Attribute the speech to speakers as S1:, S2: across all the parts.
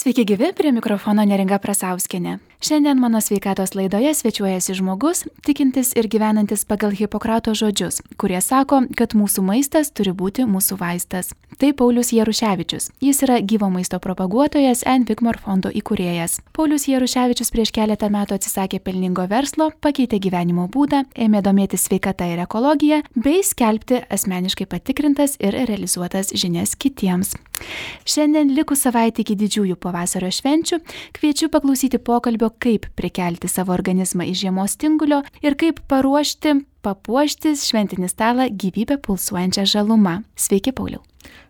S1: Sveiki gyvi, prie mikrofono Neringa Prasauskienė. Šiandien mano sveikatos laidoje svečiuojasi žmogus, tikintis ir gyvenantis pagal Hipokrato žodžius, kurie sako, kad mūsų maistas turi būti mūsų vaistas. Tai Paulius Jaruševičius. Jis yra gyvo maisto propaguotojas and Vigmor fondo įkūrėjas. Paulius Jaruševičius prieš keletą metų atsisakė pelningo verslo, pakeitė gyvenimo būdą, ėmė domėtis sveikata ir ekologija, bei skelbti asmeniškai patikrintas ir realizuotas žinias kitiems. Šiandien likus savaitę iki didžiųjų pavasario švenčių, kviečiu paklausyti pokalbio, kaip prikelti savo organizmą iš žiemos tingulio ir kaip papuošti šventinį stalą gyvybę pulsuojančią žalumą. Sveiki, Pauliau.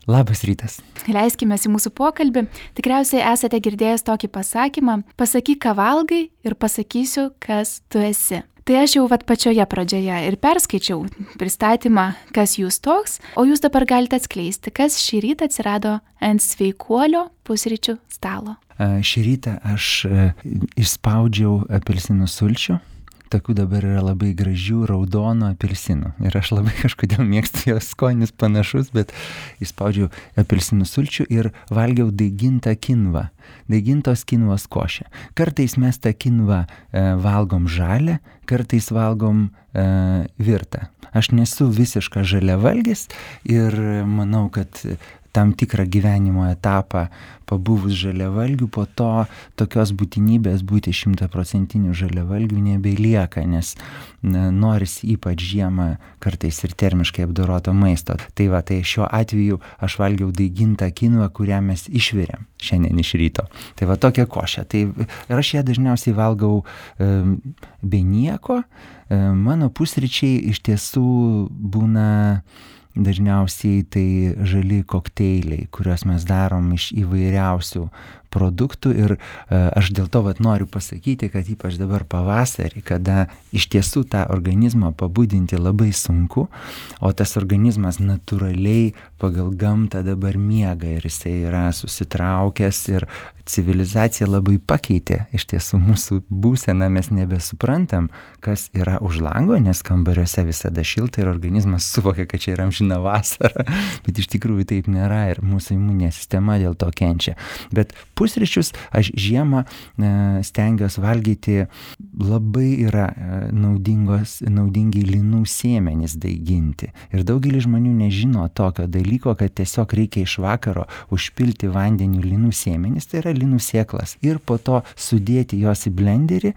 S2: Labas rytas.
S1: Leiskime į mūsų pokalbį. Tikriausiai esate girdėjęs tokį pasakymą: pasakyk, ką valgai ir pasakysiu, kas tu esi. Tai aš jau pačioje pradžioje ir perskaičiau pristatymą, kas jūs toks, o jūs dabar galite atskleisti, kas šį rytą atsirado ant sveikuolio pusryčių stalo.
S2: Šį rytą aš išspaudžiau apelsinų sulčių. Tokių dabar yra labai gražių raudonų apelsinų. Ir aš labai kažkodėl mėgstu, jos skonis panašus, bet išspaudžiau apelsinų sulčių ir valgiau daigintą kinvą. Daigintos kinvos košę. Kartais mes tą kinvą valgom žalę, kartais valgom virtą. Aš nesu visiškas žaliavalgis ir manau, kad tam tikrą gyvenimo etapą pabuvus žaliavalgių, po to tokios būtinybės būti 100% žaliavalgių nebelieka, nes noris ypač žiemą kartais ir termiškai apdoroto maisto. Tai šiuo atveju aš valgiau daigintą kinvą, kurią mes išvirėm šiandien iš ryto. Tai tokia košė. Ir aš ją dažniausiai valgau be nieko. Mano pusryčiai iš tiesų būna dažniausiai tai žali kokteiliai, kuriuos mes darom iš įvairiausių produktų ir aš dėl to noriu pasakyti, kad ypač dabar pavasarį, kada iš tiesų tą organizmą pabudinti labai sunku, o tas organizmas natūraliai pagal gamtą dabar miega ir jisai yra susitraukęs ir civilizacija labai pakeitė iš tiesų mūsų būseną, mes nebesuprantam, kas yra už lango, nes kambariuose visada šilta ir organizmas suvokia, kad čia yra amžina vasara, bet iš tikrųjų taip nėra ir mūsų imuninė sistema dėl to kenčia. Bet pusryčius aš žiemą stengiuosi valgyti, labai yra naudingi linų sėmenys daiginti. Ir daugelis žmonių nežino tokio dalyko, kad tiesiog reikia iš vakaro užpilti vandeniu linų sėmenys, tai yra linų sėklas, ir po to sudėti jos į blenderį,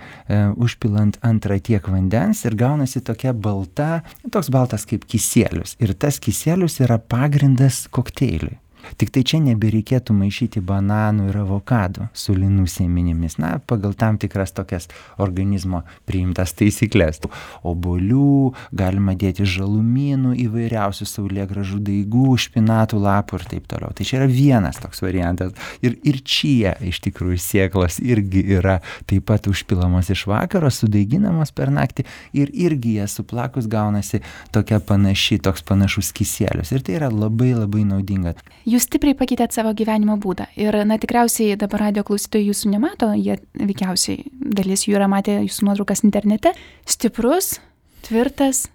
S2: užpilant antrą tiek vandens ir gaunasi toks baltas kaip kisielius. Ir tas kisielius yra pagrindas kokteiliui. Tik tai čia nebereikėtų maišyti bananų ir avokadų su linų sėmenimis, pagal tam tikras tokias organizmo priimtas taisyklės. Obuolių, galima dėti žalumynų, įvairiausių saulėgrąžų daigų, špinatų lapų ir taip toliau. Tai čia yra vienas toks variantas. Ir čia iš tikrųjų sėklos irgi yra taip pat užpilamos iš vakaro, sudaiginamos per naktį ir irgi jas suplakus gaunasi toks panašus kisielius. Ir tai yra labai labai naudinga.
S1: Jūs stipriai pakeitėt savo gyvenimo būdą ir, tikriausiai dabar radio klausytojai jūsų nemato, jie veikiausiai dalis jų yra matę jūsų nuotraukas internete. Stiprus, tvirtas,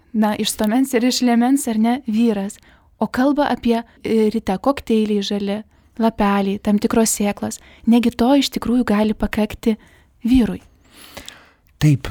S1: iš stuomens ir iš liemens, ar ne, vyras. O kalba apie ryte kokteiliai žali, lapeliai, tam tikros sėklos. Negi to iš tikrųjų gali pakakti vyrui.
S2: Taip,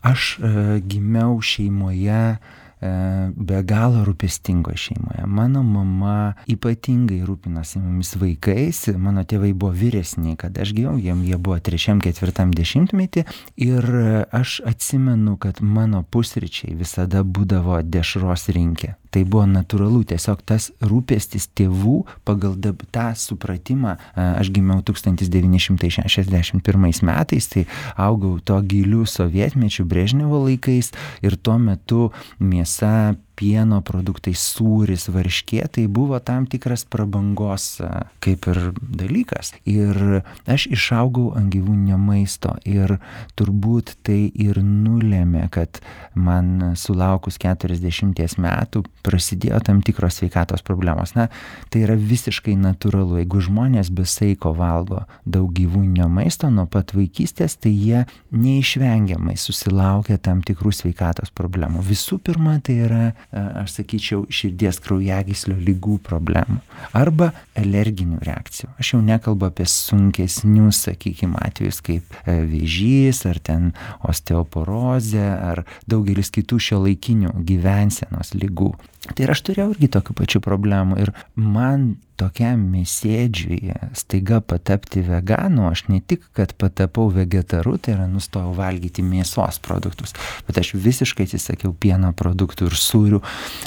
S2: aš gimiau šeimoje, be galo rūpestingoje šeimoje. Mano mama ypatingai rūpinosi mumis vaikais, mano tėvai buvo vyresni, kad aš gimiau, jie buvo 3-4 dešimtmetį ir aš atsimenu, kad mano pusryčiai visada būdavo dešros rinkė. Tai buvo natūralu, tiesiog tas rūpestis tėvų pagal tą supratimą. Aš gimiau 1961 metais, tai augau to gilių sovietmečių Brežnevo laikais ir tuo metu mėsa, pieno produktai, sūris, varškė, tai buvo tam tikras prabangos kaip ir dalykas. Ir aš išaugau ant gyvūninio maisto ir turbūt tai ir nulėmė, kad man sulaukus 40 metų prasidėjo tam tikros sveikatos problemos. Tai yra visiškai natūralu. Jeigu žmonės be saiko valgo daug gyvūninio maisto nuo pat vaikystės, tai jie neišvengiamai susilaukia tam tikrų sveikatos problemų. Visų pirma, tai yra aš sakyčiau, širdies kraujagyslių ligų problemų arba alerginių reakcijų. Aš jau nekalbu apie sunkesnius, sakykime, atvejus kaip vėžys ar ten osteoporozė ar daugelis kitų šiuolaikinių gyvensenos ligų. Tai ir aš turėjau irgi tokių pačių problemų ir man tokiam mėsėdžiui staiga patapti veganu, aš ne tik, kad patapau vegetaru, tai yra nustojau valgyti mėsos produktus, bet aš visiškai atsisakiau pieno produktų ir sūrių,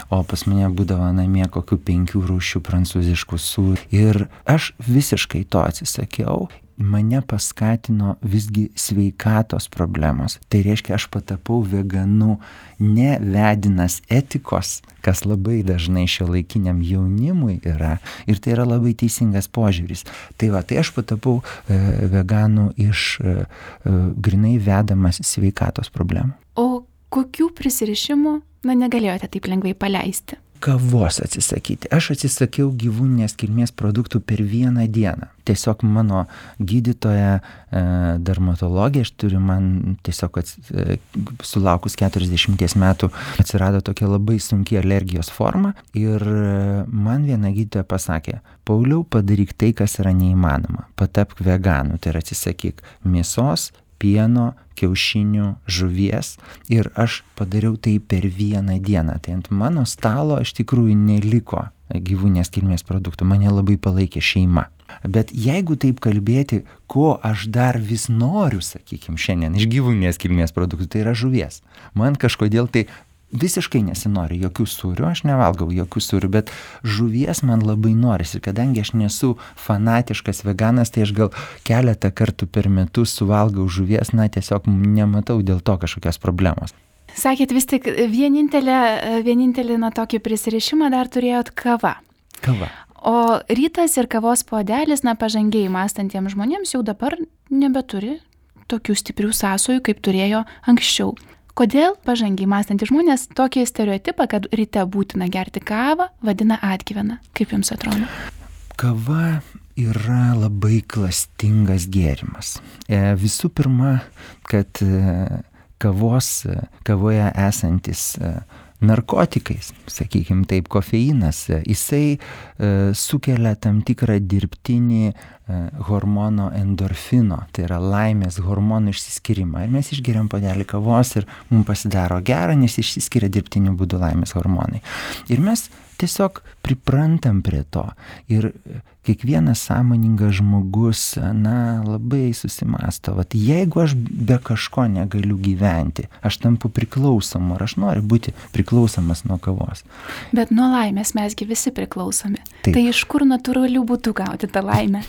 S2: o pas mane būdavo namie kokių 5 rūšių prancūziškų sūrių. Ir aš visiškai to atsisakiau. Mane paskatino visgi sveikatos problemos. Tai reiškia, aš patapau veganu ne vedinas etikos, kas labai dažnai šiuolaikiniam jaunimui yra. Ir tai yra labai teisingas požiūris. Tai aš patapau veganu iš grinai vedamas sveikatos problemų.
S1: O kokių prisirišimų negalėjote taip lengvai paleisti?
S2: Kavos atsisakyti. Aš atsisakiau gyvūninės kilmės produktų per vieną dieną. Tiesiog mano gydytoja dermatologė, aš turiu man tiesiog sulaukus 40 metų atsirado tokia labai sunki alergijos forma ir man viena gydytoja pasakė: Pauliau, padaryk tai, kas yra neįmanoma. Patapk veganu, tai yra atsisakyk mėsos, pieno, kiaušinių, žuvies ir aš padariau tai per vieną dieną. Tai ant mano stalo iš tikrųjų neliko gyvūninės kilmės produktų, mane labai palaikė šeima. Bet jeigu taip kalbėti, ko aš dar vis noriu, sakykime, šiandien iš gyvūninės kilmės produktų, tai yra žuvies. Man kažkodėl tai visiškai nesinori jokių sūrių, aš nevalgau jokių sūrių, bet žuvies man labai norisi. Kadangi aš nesu fanatiškas veganas, tai aš gal keletą kartų per metus suvalgau žuvies, tiesiog nematau dėl to kažkokios problemos.
S1: Sakėt, vis tik vienintelį tokį prisirišimą dar turėjot kava.
S2: Kava.
S1: O rytas ir kavos puodelis, pažangiai mąstantiems žmonėms jau dabar nebeturi tokių stiprių sąsajų, kaip turėjo anksčiau. Kodėl pažangiai mąstantys žmonės tokį stereotipą, kad ryte būtina gerti kavą, vadina atgyvena? Kaip jums atrodo?
S2: Kava yra labai klastingas gėrimas. Visų pirma, kad kavoje esantis narkotikais, sakykime taip, kofeinas, jisai sukelia tam tikrą dirbtinį hormono endorfino, tai yra laimės hormonų išsiskyrimą. Ir mes išgeriam puodelį kavos ir mums pasidaro gera, nes išsiskiria dirbtiniu būdu laimės hormonai. Ir mes tiesiog priprantam prie to. Ir kiekvienas sąmoningas žmogus, labai susimąsto, jeigu aš be kažko negaliu gyventi, aš tampu priklausomu, ar aš noriu būti priklausomas nuo kavos.
S1: Bet nuo laimės mesgi visi priklausomi.
S2: Taip.
S1: Tai iš kur natūralių būtų gauti tą laimę?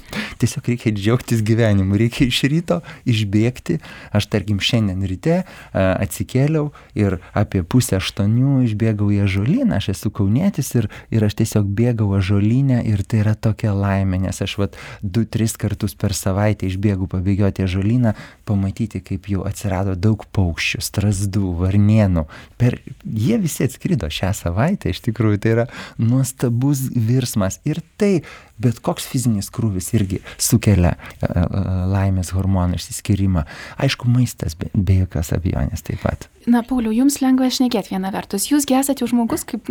S2: Tiesiog reikia džiaugtis gyvenimu, reikia iš ryto išbėgti. Aš tarkim šiandien ryte atsikėliau ir apie 7:30 išbėgau į ąžuolyną, aš esu kaunietis ir aš tiesiog bėgau ąžuolynę ir tai yra tokia laimė, nes aš 2-3 kartus per savaitę išbėgau pabėgioti ąžuolyną, pamatyti, kaip jau atsirado daug paukščių, strazdų, varnėnų. Jie visi atskrido šią savaitę, iš tikrųjų tai yra nuostabus virsmas ir tai bet koks fizinis krūvis irgi sukelia laimės hormonų išsiskyrimą. Aišku, maistas be jokios abejonės taip pat.
S1: Pauliau, jums lengva šnekėti viena vertus. Jūs esate jau žmogus, kaip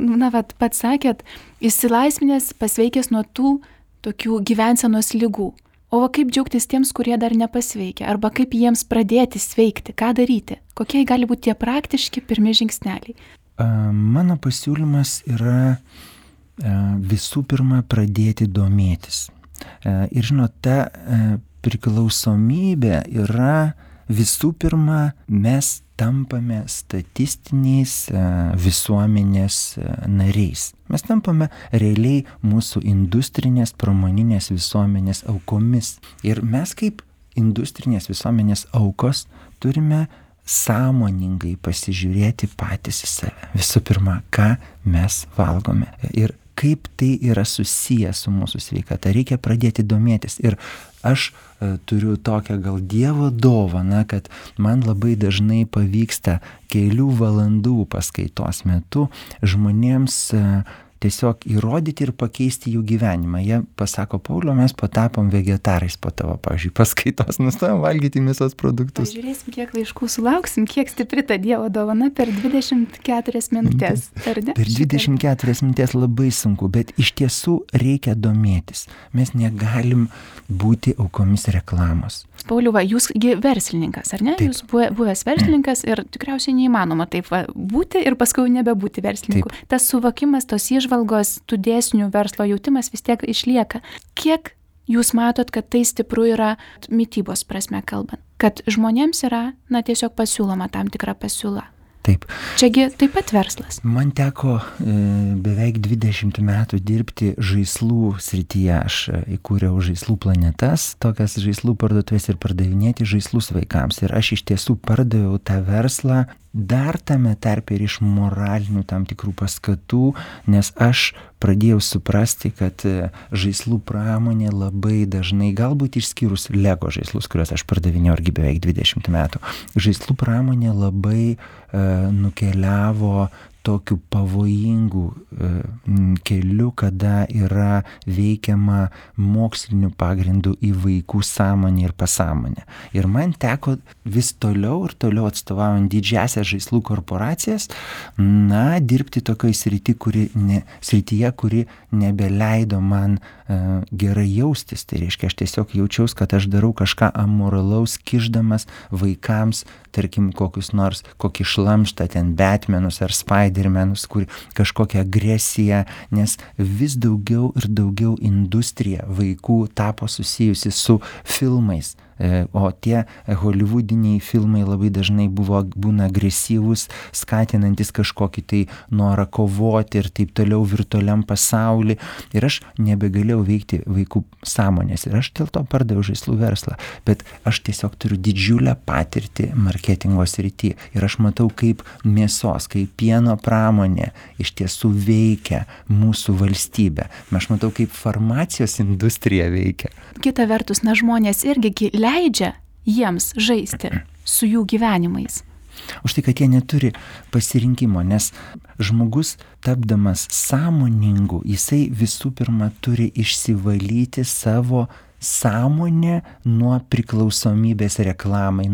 S1: pats sakėt, išsilaisvinęs, pasveikęs nuo tų tokių gyvensenos ligų. O kaip džiaugtis tiems, kurie dar nepasveikia? Arba kaip jiems pradėti sveikti? Ką daryti? Kokie gali būti tie praktiški pirmi žingsneliai?
S2: Mano pasiūlymas yra visų pirma pradėti domėtis. Ir žinot, ta priklausomybė yra visų pirma, mes tampame statistiniais visuomenės nariais. Mes tampame realiai mūsų industrinės, pramoninės visuomenės aukomis. Ir mes kaip industrinės visuomenės aukos turime sąmoningai pasižiūrėti patys į save. Visų pirma, ką mes valgome ir kaip tai yra susiję su mūsų sveikata. Reikia pradėti domėtis. Ir aš turiu tokią gal Dievo dovaną, kad man labai dažnai pavyksta kelių valandų paskaitos metu žmonėms tiesiog įrodyti ir pakeisti jų gyvenimą. Jie pasako, Pauliau, mes patapom vegetarais po tavo, pavyzdžiui, paskaitos, nustojom valgyti mėsos produktus.
S1: Žiūrėsim, kiek laiškų sulauksim, kiek stipri ta Dievo dovana per 24 minutės. Per
S2: 24 minutės labai sunku, bet iš tiesų reikia domėtis. Mes negalim būti aukomis reklamos.
S1: Pauliau, jūsgi verslininkas, ar ne?
S2: Taip.
S1: Jūs buvęs verslininkas ir tikriausiai neįmanoma taip būti ir paskui nebebūti verslininku.
S2: Taip.
S1: Tas suvokimas, tos įžvalgos, tų dėsnių verslo jautimas vis tiek išlieka. Kiek jūs matot, kad tai stipru yra mitybos prasme kalbant? Kad žmonėms yra, tiesiog pasiūloma tam tikra pasiūla.
S2: Taip.
S1: Čiagi taip pat verslas.
S2: Man teko beveik 20 metų dirbti žaislų srityje. Aš įkūriau žaislų planetas, tokias žaislų parduotuvės ir pardavinėti žaislus vaikams. Ir aš iš tiesų pardaviau tą verslą dar tame tarpe ir iš moralinių tam tikrų paskatų, nes aš pradėjau suprasti, kad žaislų pramonė labai dažnai, galbūt išskyrus Lego žaislus, kuriuos aš pardavinėjau irgi beveik 20 metų, žaislų pramonė labai nukeliavo tokiu pavojingu keliu, kada yra veikiama moksliniu pagrindu į vaikų sąmonę ir pasąmonę. Ir man teko vis toliau ir toliau atstovaujant didžiasias žaislų korporacijas, dirbti tokioj srityje, kuri nebeleido man gerai jaustis. Tai reiškia, aš tiesiog jaučiausi, kad aš darau kažką amoralaus, kišdamas vaikams, tarkim, kokį šlamštą, ten Batmanus ar Spidermanus, kur kažkokią agresiją, nes vis daugiau ir daugiau industrija vaikų tapo susijusi su filmais. O tie holivudiniai filmai labai dažnai būna agresyvūs, skatinantis kažkokį tai norą kovoti ir taip toliau virtualiam pasauly. Ir aš nebegalėjau veikti vaikų sąmonės. Ir aš dėl to pardaviau žaislų verslą. Bet aš tiesiog turiu didžiulę patirtį marketingo srityje. Ir aš matau, kaip mėsos, kaip pieno pramonė iš tiesų veikia mūsų valstybę. Aš matau, kaip farmacijos industrija veikia.
S1: Kita vertus, žmonės irgi leidžia jiems žaisti su jų gyvenimais.
S2: Už tai, kad jie neturi pasirinkimo, nes žmogus, tapdamas sąmoningu, jisai visų pirma turi išsivalyti savo sąmonę nuo priklausomybės reklamai.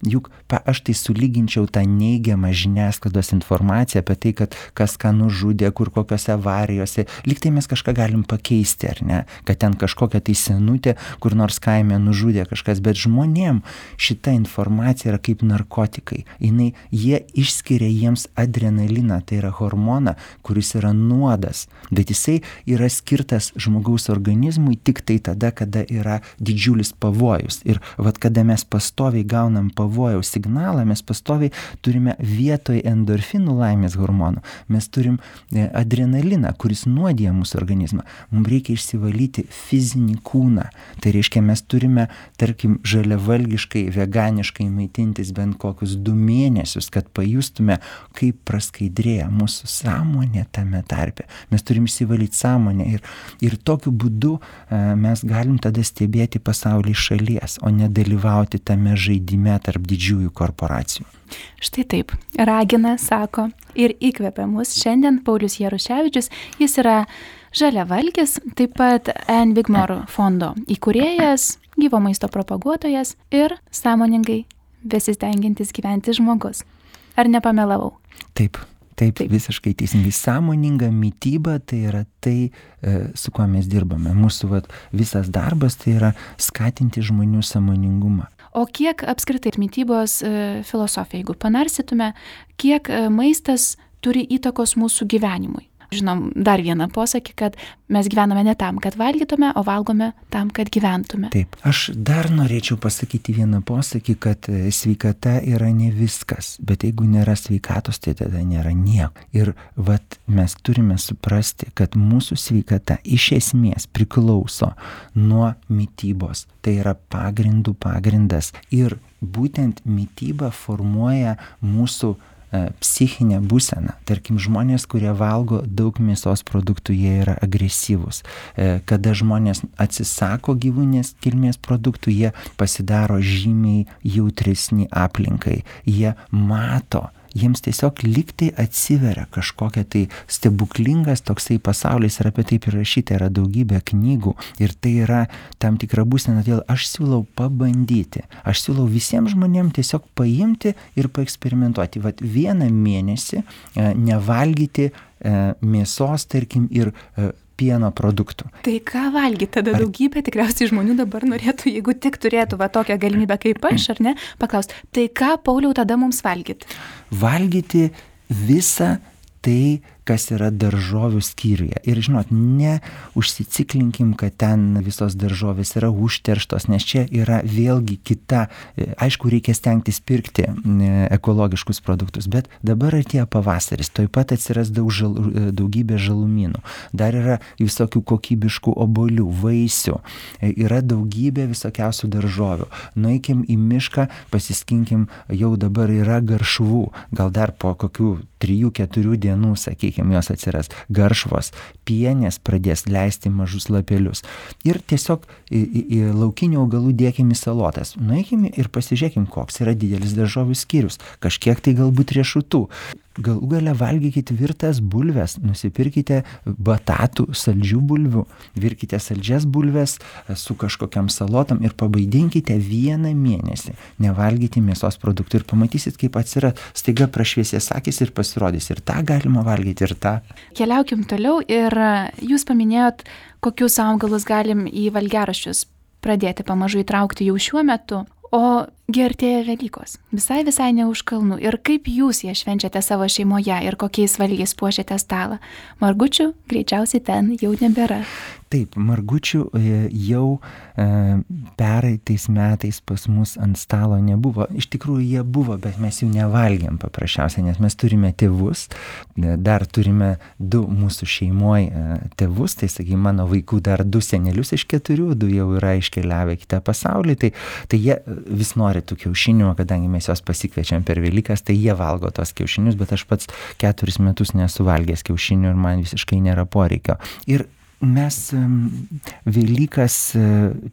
S2: Juk aš tai sulyginčiau tą neigiamą žiniasklaidos informaciją apie tai, kad kas ką nužudė, kur kokiose avarijose. Lyg tai mes kažką galim pakeisti, ar ne? Kad ten kažkokia tai senutė, kur nors kaime nužudė kažkas. Bet žmonėm šita informacija yra kaip narkotikai. Jie išskiria jiems adrenaliną, tai yra hormoną, kuris yra nuodas. Bet jisai yra skirtas žmogaus organizmui tik tai tada, kada yra didžiulis pavojus. Ir kada mes pastoviai gaunam pavojaus signalą, mes pastoviai turime vietoj endorfinų laimės hormonų, mes turim adrenaliną, kuris nuodija mūsų organizmą. Mums reikia išsivalyti fizinį kūną. Tai reiškia, mes turime, tarkim, žaliavalgiškai, veganiškai maitintis bent kokius 2 mėnesius, kad pajustume, kaip praskaidrėja mūsų sąmonė tame tarpe. Mes turim išsivalyti sąmonę ir tokiu būdu mes galim tada stebėti pasaulį iš šalies, o nedalyvauti tame žaidime tarp didžiųjų korporacijų.
S1: Štai taip, ragina, sako ir įkvepia mus šiandien Paulius Jaruševičius. Jis yra žaliavalgis, taip pat Ann Wigmore fondo įkūrėjas, gyvo maisto propaguotojas ir sąmoningai besistengiantis gyventi žmogus. Ar nepamelavau?
S2: Taip, visiškai teisingai. Sąmoninga mityba tai yra tai, su kuo mes dirbame. Mūsų visas darbas tai yra skatinti žmonių sąmoningumą.
S1: O kiek apskritai mitybos filosofija, jeigu panarsytume, kiek maistas turi įtakos mūsų gyvenimui? Žinom, dar vieną posakį, kad mes gyvename ne tam, kad valgytume, o valgome tam, kad gyventume.
S2: Taip, aš dar norėčiau pasakyti vieną posakį, kad sveikata yra ne viskas, bet jeigu nėra sveikatos, tai tada nėra nieko. Ir mes turime suprasti, kad mūsų sveikata iš esmės priklauso nuo mitybos. Tai yra pagrindas. Ir būtent mityba formuoja mūsų psichinę būseną. Tarkim, žmonės, kurie valgo daug mėsos produktų, jie yra agresyvūs. Kada žmonės atsisako gyvūninės kilmės produktų, jie pasidaro žymiai jautresni aplinkai. Jie mato jiems tiesiog lygtai atsiveria kažkokia tai stebuklingas toksai pasaulis ir apie tai prirašyta yra daugybė knygų ir tai yra tam tikra būsena, todėl aš siūlau pabandyti, aš siūlau visiems žmonėms tiesiog paimti ir paeksperimentuoti. Vat vieną mėnesį nevalgyti mėsos, tarkim, ir pieno produktų.
S1: Tai ką valgyti? Tada daugybė tikriausiai žmonių dabar norėtų, jeigu tik turėtų va tokią galimybę kaip aš, ar ne, paklausti, tai ką, Pauliau, tada mums valgyti?
S2: Valgyti visą tai, kas yra daržovių skyriuje. Ir žinot, neužsiciklinkim, kad ten visos daržovės yra užterštos, nes čia yra vėlgi kita, aišku, reikia stengtis pirkti ekologiškus produktus, bet dabar atėjo pavasaris, toj pat atsiras daugybė žalumynų, dar yra visokių kokybiškų obuolių, vaisių, yra daugybė visokiausių daržovių. Nueikim į mišką, pasiskinkim, jau dabar yra garšvų, gal dar po kokių 3-4 dienų, sakykime, jos atsiras garšvos, pienės pradės leisti mažus lapelius. Ir tiesiog į laukinių augalų dėkim į salotas. Nueikime ir pasižiūrėkim, koks yra didelis daržovių skyrius. Kažkiek tai galbūt riešutų. Galų gale valgykite virtas bulves, nusipirkite batatų, saldžių bulvių, virkite saldžias bulves su kažkokiam salotam ir pabaidinkite 1 mėnesį nevalgyti mėsos produktų ir pamatysit, kaip atsiras staiga prašviesės akys ir pasirodys. Ir tą galima valgyti, ir tą.
S1: Keliaukim toliau ir jūs paminėjot, kokius augalus galim į valgiaraščius pradėti pamažu įtraukti jau šiuo metu. O artėja Velykos, visai ne už kalnų. Ir kaip jūs jas švenčiate savo šeimoje ir kokiais valgiais puošiate stalą? Margučių greičiausiai ten jau nebėra.
S2: Taip, margučių jau pereitais metais pas mus ant stalo nebuvo. Iš tikrųjų jie buvo, bet mes jų nevalgėm paprasčiausiai, nes mes turime tėvus, dar turime 2 mūsų šeimoje tėvus, tai sakykime, mano vaikų dar 2 senelius iš 4, 2 jau yra iškeliavę kitą pasaulį, tai jie vis nori tų kiaušinių, kadangi mes juos pasikviečiam per Velykas, tai jie valgo tos kiaušinius, bet aš pats 4 metus nesu valgęs kiaušinių ir man visiškai nėra poreikio. Ir mes Velykas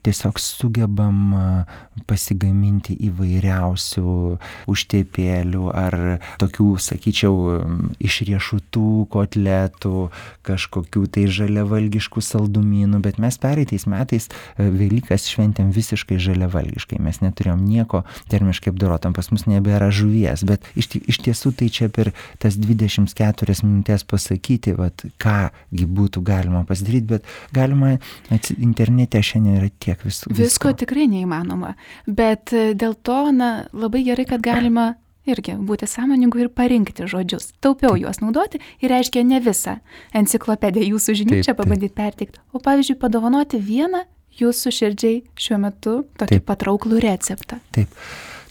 S2: tiesiog sugebam pasigaminti įvairiausių užtepėlių ar tokių, sakyčiau, iš riešutų kotletų, kažkokių tai žaliavalgiškų saldumynų, bet mes pereitais metais Velykas šventėm visiškai žaliavalgiškai, mes neturėjom nieko termiškai apdorotam, pas mus nebėra žuvies, bet iš tiesų tai čia per tas 24 minutės pasakyti, vat, kągi būtų galima pasidaryti, bet galima internete šiandien yra tiek
S1: visko tikrai neįmanoma, bet dėl to labai gerai, kad galima irgi būti sąmoningu ir parinkti žodžius, taupiau juos naudoti ir reiškia ne visą enciklopediją jūsų žinių čia pabandyti perteikti, o pavyzdžiui padovanoti vieną jūsų širdžiai šiuo metu tokį patrauklų receptą.
S2: Taip.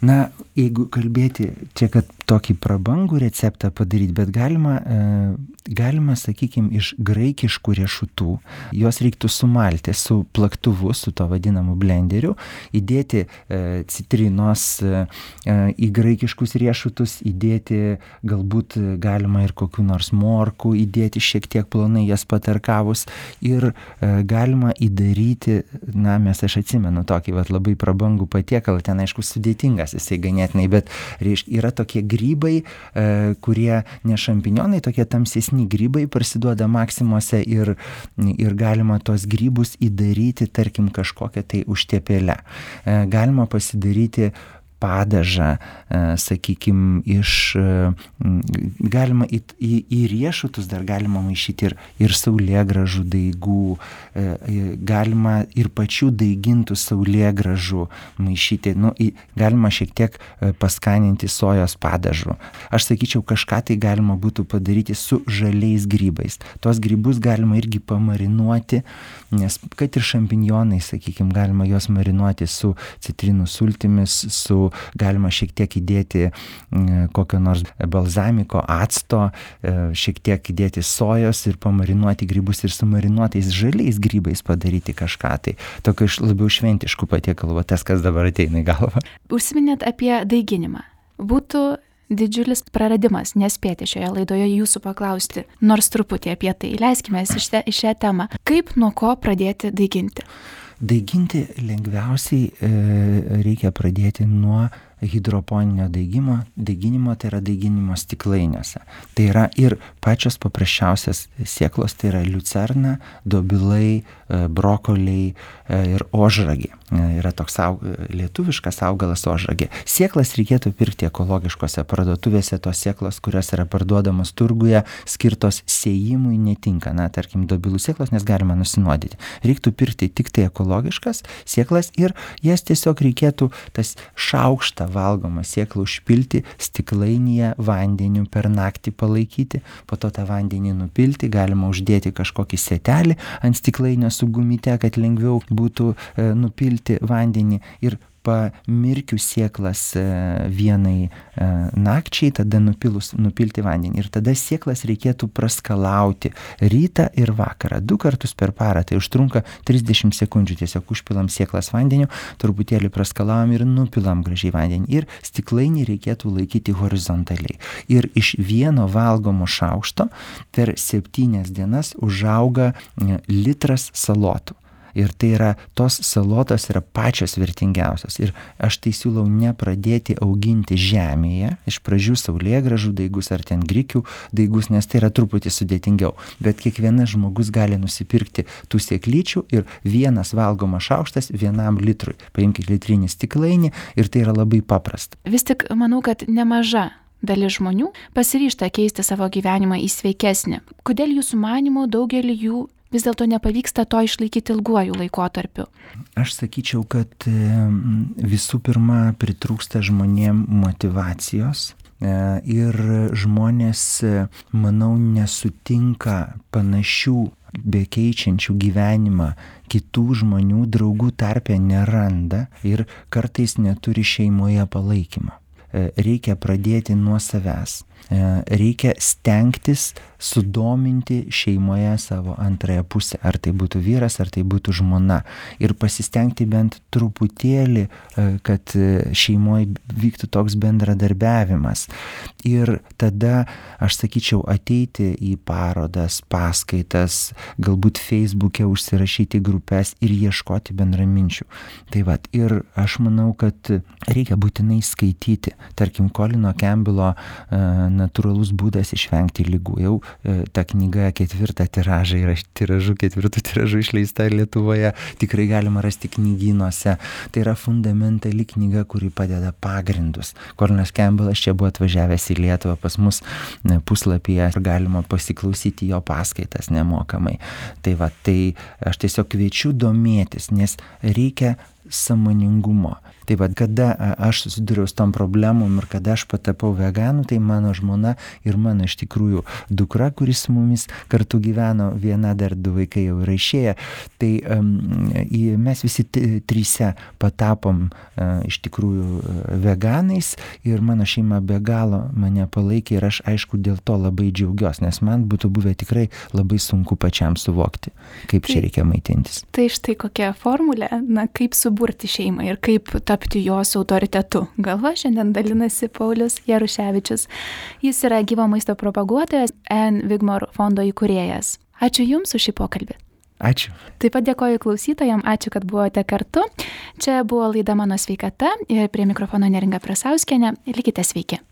S2: Na, jeigu kalbėti čia, kad tokį prabangų receptą padaryti, bet galima, sakykime, iš graikiškų riešutų, juos reiktų sumalti su plaktuvu, su to vadinamu blenderiu, įdėti citrinos į graikiškus riešutus, įdėti galbūt galima ir kokių nors morkų, įdėti šiek tiek plonai jas patarkavus ir galima įdaryti, aš atsimenu tokį labai prabangų patiekalą, ten aišku sudėtingas jisai ganėtinai, bet yra tokie grybai, kurie ne šampinionai, tokie tamsesni grybai parsiduoda Maksimuose ir galima tos grybus įdaryti, tarkim, kažkokią tai užtepėlę. Galima pasidaryti padažą, sakykime, galima į riešutus dar galima maišyti ir saulėgrąžų daigų, galima ir pačių daigintų saulėgrąžų maišyti, galima šiek tiek paskaninti sojos padažu. Aš sakyčiau, kažką tai galima būtų padaryti su žaliais grybais. Tos grybus galima irgi pamarinuoti, nes kad ir šampinjonai, sakykime, galima juos marinuoti su citrinų sultimis, galima šiek tiek įdėti kokio nors balzamiko acto, šiek tiek įdėti sojos ir pamarinuoti grybus ir su marinuotais žaliais grybais padaryti kažką. Tai tokio labiau šventiškų patiekalų, tas, kas dabar ateina į galvą.
S1: Užsiminėt apie daiginimą. Būtų didžiulis praradimas nespėti šioje laidoje jūsų paklausti, nors truputį apie tai. Leiskime į šią temą. Kaip nuo ko pradėti daiginti?
S2: Daiginti lengviausiai reikia pradėti nuo hidroponinio daiginimo, tai yra daiginimo stiklainiuose. Tai yra ir pačios paprasčiausias sėklos, tai yra liucerna, dobilai, brokoliai ir ožragė. Yra toks lietuviškas augalas ožragė. Sėklas reikėtų pirkti ekologiškose parduotuvėse, tos sėklos, kurios yra parduodamos turguje, skirtos sėjimui netinka. Tarkim, dobilų sėklos, nes galima nusinuodyti. Reiktų pirkti tik tai ekologiškas sėklas ir jas tiesiog reikėtų tas šaukštą valgomą sėklą užpilti stiklainyje vandeniu per naktį palaikyti, po to tą vandenį nupilti, galima uždėti kažkokį sėtelį ant stiklainio su gumyte, kad lengviau būtų nupilti vandenį ir pamirkiu sėklas vienai nakčiai, tada nupilti vandenį. Ir tada sėklas reikėtų praskalauti rytą ir vakarą. 2 kartus per parą. Tai užtrunka 30 sekundžių. Tiesiog užpilam sėklas vandeniu, truputėlį praskalaujam ir nupilam gražiai vandenį. Ir stiklainį reikėtų laikyti horizontaliai. Ir iš vieno valgomo šaukšto per 7 dienas užauga litras salotų. Ir tai yra, tos salotos yra pačios vertingiausios. Ir aš tai siūlau nepradėti auginti žemėje, iš pradžių saulėgrąžų daigus ar ten grikių daigus, nes tai yra truputį sudėtingiau. Bet kiekvienas žmogus gali nusipirkti tų sėklyčių ir vienas valgomas šaukštas 1 litrui. Paimkite litrinį stiklainį ir tai yra labai paprasta.
S1: Vis tik manau, kad nemaža dalis žmonių pasiryžta keisti savo gyvenimą į sveikesnį. Kodėl jūsų manymu daugelį jų vis dėlto nepavyksta to išlaikyti ilguoju laikotarpiu?
S2: Aš sakyčiau, kad visų pirma pritrūksta žmonėm motyvacijos ir žmonės, manau, nesutinka panašių bekeičiančių gyvenimą kitų žmonių, draugų tarpe neranda ir kartais neturi šeimoje palaikymo. Reikia pradėti nuo savęs. Reikia stengtis sudominti šeimoje savo antrąją pusę. Ar tai būtų vyras, ar tai būtų žmona. Ir pasistengti bent truputėlį, kad šeimoje vyktų toks bendradarbiavimas. Ir tada, aš sakyčiau, ateiti į parodas, paskaitas, galbūt Facebook'e užsirašyti grupės ir ieškoti bendraminčių. Tai vat, ir aš manau, kad reikia būtinai skaityti. Tarkim, Colino Campbello natūralus būdas išvengti ligų. Jau ta knyga 4 tiražą yra 4 tiražu išleista Lietuvoje, tikrai galima rasti knygynuose. Tai yra fundamentali knyga, kuri padeda pagrindus. Colinas Campbellas čia buvo atvažiavęs į Lietuvą, pas mus puslapyje galima pasiklausyti jo paskaitas nemokamai. Tai va, tai aš tiesiog kviečiu domėtis, nes reikia sąmoningumo. Tai va, kada aš susidūriau su tom problemom ir kada aš patapau veganu, tai mano žmona ir mano iš tikrųjų dukra, kuris su mumis kartu gyveno, viena dar 2 vaikai jau yra išėję, tai mes visi 3 patapom iš tikrųjų veganais ir mano šeima be galo mane palaikė ir aš aišku dėl to labai džiaugiuosi, nes man būtų buvę tikrai labai sunku pačiam suvokti, kaip čia reikia maitintis.
S1: Tai štai kokia formulė, kaip suburti šeimą ir kaip tapti jos autoritetu. Galva šiandien dalinasi Paulius Jaruševičius. Jis yra gyvo maisto propaguotojas, Ann Wigmore fondo įkūrėjas. Ačiū Jums už šį pokalbį.
S2: Ačiū.
S1: Taip pat dėkoju klausytojams, ačiū, kad buvote kartu. Čia buvo laida Mano sveikata ir prie mikrofono Neringa Prasauskienė. Likite sveiki.